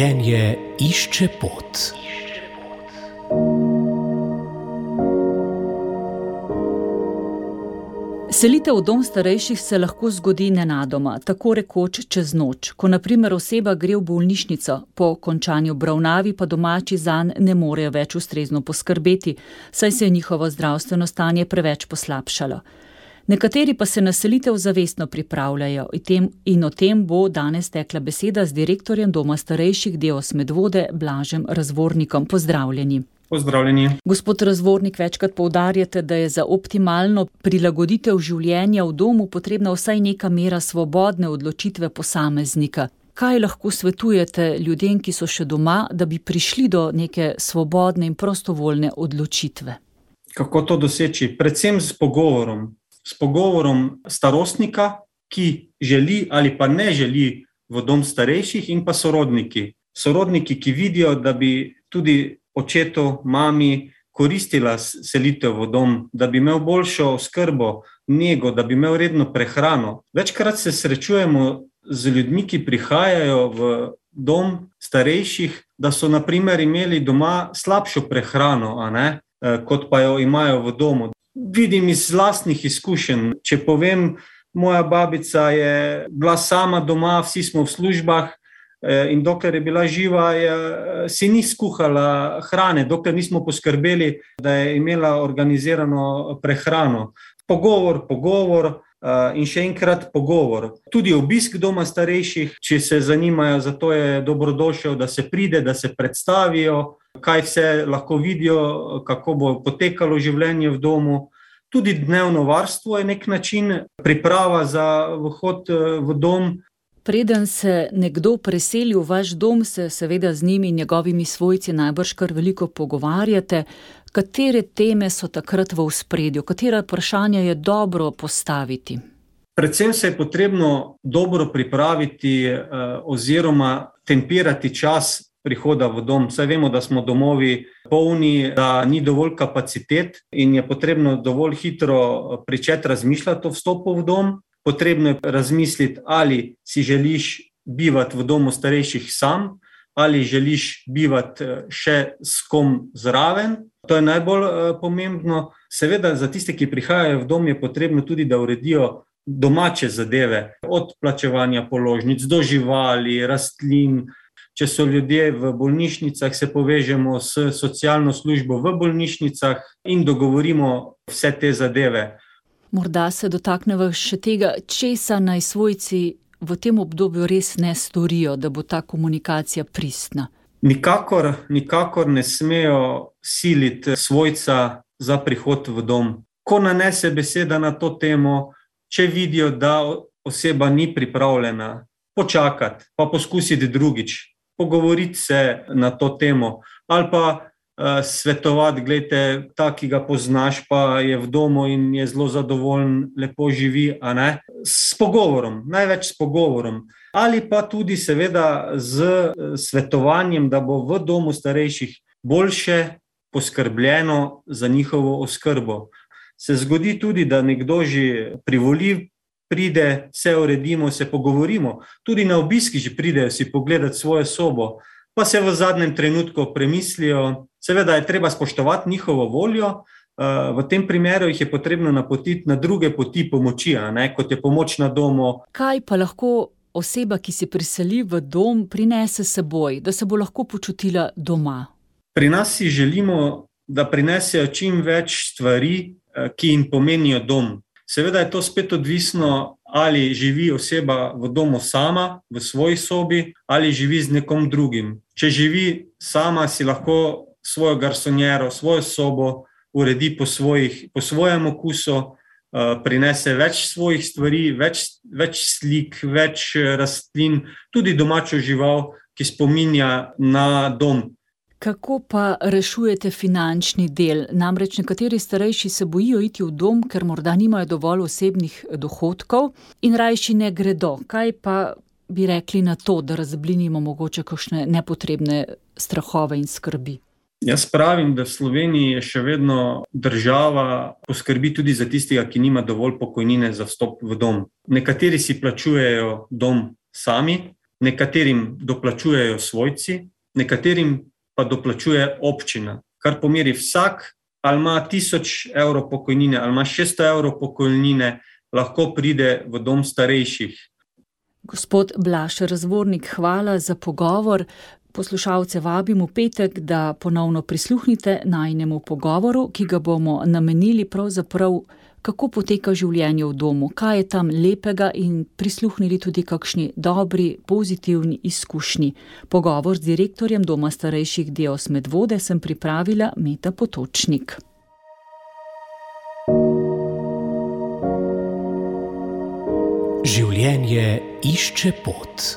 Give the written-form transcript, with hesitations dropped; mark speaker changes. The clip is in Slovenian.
Speaker 1: Življenje išče pot.
Speaker 2: Selitev v dom starejših se lahko zgodi nenadoma, tako rekoč čez noč, ko na primer oseba gre v bolnišnico, po končani obravnavi pa domači zanj ne morejo več ustrezno poskrbeti, saj se je njihovo zdravstveno stanje preveč poslabšalo. Nekateri pa se na selitev zavestno pripravljajo in o tem bo danes tekla beseda z direktorjem doma starejših Deos Medvode Blažem Razvornikom. Pozdravljeni.
Speaker 3: Pozdravljeni.
Speaker 2: Gospod Razvornik, večkrat poudarjate, da je za optimalno prilagoditev življenja v domu potrebna vsaj neka mera svobodne odločitve posameznika. Kaj lahko svetujete ljudem, ki so še doma, da bi prišli do neke svobodne in prostovoljne odločitve?
Speaker 3: Kako to doseči? Predvsem s pogovorom. S pogovorom starostnika, ki želi ali pa ne želi v dom starejših, in pa sorodniki. Sorodniki, ki vidijo, da bi tudi očetu, mami koristila selitev v dom, da bi imel boljšo oskrbo, nego, da bi imel redno prehrano. Večkrat se srečujemo z ljudmi, ki prihajajo v dom starejših, da so na primer imeli doma slabšo prehrano, kot pa jo imajo v domu. Vidim iz lastnih izkušenj. Če povem, moja babica je bila sama doma, vsi smo v službah, in dokler je bila živa, si ni skuhala hrane, dokler nismo poskrbeli, da je imela organizirano prehrano. Pogovor in še enkrat pogovor. Tudi obisk doma starejših, če se zanimajo, zato je dobrodošel, da se pride, da se predstavijo, kaj vse lahko vidijo, kako bo potekalo življenje v domu. Tudi dnevno varstvo je nek način, priprava za vhod v dom.
Speaker 2: Preden se nekdo preseli v vaš dom, se seveda z njimi in njegovimi svojci najbrž kar veliko pogovarjate. Katere teme so takrat v ospredju? Katera vprašanja je dobro postaviti?
Speaker 3: Predvsem se je potrebno dobro pripraviti oziroma tempirati čas prihoda v dom. Saj vemo, da smo domovi polni, da ni dovolj kapacitet in je potrebno dovolj hitro pričeti razmišljati o vstopu v dom. Potrebno je razmisliti, ali si želiš bivati v domu starejših sam, ali želiš bivati še s kom zraven. To je najbolj pomembno. Seveda za tiste, ki prihajajo v dom, je potrebno tudi, da uredijo domače zadeve, od plačevanja položnic do živali, rastlin. Če so ljudje v bolnišnicah, se povežemo s socialno službo v bolnišnicah in dogovorimo vse te zadeve.
Speaker 2: Morda se dotakneva še tega, česa naj svojci v tem obdobju res ne storijo, da bo ta komunikacija pristna.
Speaker 3: Nikakor ne smejo siliti svojca za prihod v dom. Ko nanese beseda na to temo, če vidijo, da oseba ni pripravljena, počakati, pa poskusiti drugič, pogovoriti se na to temo, ali pa svetovati, glejte, ta, ki ga poznaš, pa je v domu in je zelo zadovoljen, lepo živi, s pogovorom, največ s pogovorom. Ali pa tudi seveda z svetovanjem, da bo v domu starejših boljše poskrbljeno za njihovo oskrbo. Se zgodi tudi, da nekdo že privoli, pride, se uredimo, se pogovorimo. Tudi na obiski že pridejo si pogledati svojo sobo, pa se v zadnjem trenutku premislijo. Seveda je treba spoštovati njihovo voljo, v tem primeru jih je potrebno napotiti na druge poti pomoči, kot je pomoč na domu.
Speaker 2: Kaj pa lahko oseba, ki se priseli v dom, prinese s seboj, da se bo lahko počutila doma?
Speaker 3: Pri nas si želimo, da prinesejo čim več stvari, ki jim pomenijo dom. Seveda je to spet odvisno, ali živi oseba v domu sama, v svoji sobi, ali živi z nekom drugim. Če živi sama, si lahko svojo garsonjero, svojo sobo uredi po svojem okusu, prinese več svojih stvari, več slik, več rastlin, tudi domačo žival, ki spominja na dom.
Speaker 2: Kako pa rešujete finančni del? Namreč nekateri starejši se bojijo iti v dom, ker morda nimajo dovolj osebnih dohodkov in rajši ne gredo. Kaj pa bi rekli na to, da razblinimo mogoče kakšne nepotrebne strahove in skrbi?
Speaker 3: Jaz pravim, da v Sloveniji je še vedno država poskrbi tudi za tistega, ki nima dovolj pokojnine za vstop v dom. Nekateri si plačujejo dom sami, nekaterim doplačujejo svojci, nekaterim pa doplačuje občina, kar pomeni vsak, ali ima 1000 evrov pokojnine, ali ima 600 evrov pokojnine, lahko pride v dom starejših.
Speaker 2: Gospod Blaž Razvornik, hvala za pogovor. Poslušalce vabim v petek, da ponovno prisluhnite najinemu pogovoru, ki ga bomo namenili pravzaprav, kako poteka življenje v domu, kaj je tam lepega in prisluhnili tudi kakšni dobri, pozitivni izkušnji. Pogovor z direktorjem Doma starejših Dios Medvode sem pripravila Meta Potočnik.
Speaker 1: Življenje išče pot.